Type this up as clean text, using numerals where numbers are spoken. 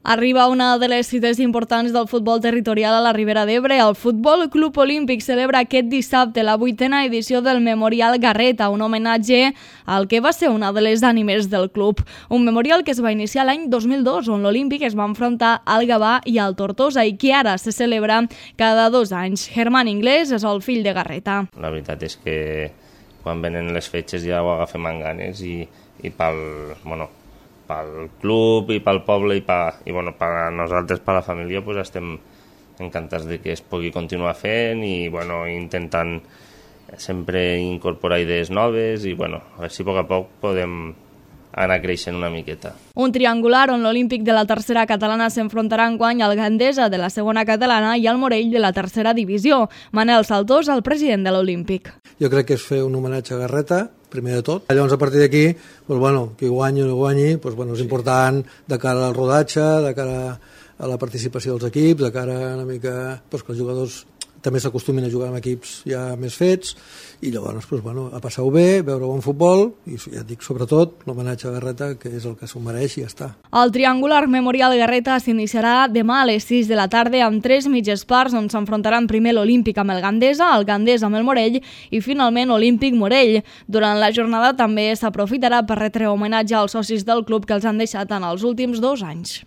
Arriba una de les cites importants del futbol territorial a la Ribera d'Ebre. El Futbol Club Olímpic celebra aquest dissabte la 8a edició del Memorial Garreta, un homenatge al que va ser una de les ànimes del club. Un memorial que es va iniciar l'any 2002, on l'Olímpic es va enfrontar al Gavà i al Tortosa i que ara se celebra cada 2 anys. Germán Inglés és el fill de Garreta. La veritat és que quan venen les fetges ja ho agafem amb ganes i pel club i pel poble i per nosaltres, per la família, pues estem encantats de que es pugui continuar fent i intentant sempre incorporar idees noves i a veure si a poc a poc podem anar creixent una miqueta. Un triangular on l'Olímpic de la tercera catalana s'enfrontarà enguany al Gandesa de la segona catalana i al Morell de la tercera divisió. Manel Saltós, el president de l'Olímpic. Jo crec que és fer un homenatge a Garreta, primer de tot. Llavors, a partir d'aquí, qui guanyi o no guanyi, és important de cara al rodatge, de cara a la participació dels equips, de cara una mica que els jugadors també s'acostumin a jugar amb equips ja més fets i llavors a passar-ho bé, veure bon futbol i ja et dic, sobretot, l'homenatge a Garreta, que és el que s'ho mereix i ja està. El triangular Memorial Garreta s'iniciarà demà a les 6 de la tarda amb 3 mitges parts on s'enfrontaran primer l'Olímpic amb el Gandesa amb el Morell i finalment Olímpic Morell. Durant la jornada també s'aprofitarà per retre homenatge als socis del club que els han deixat en els últims 2 anys.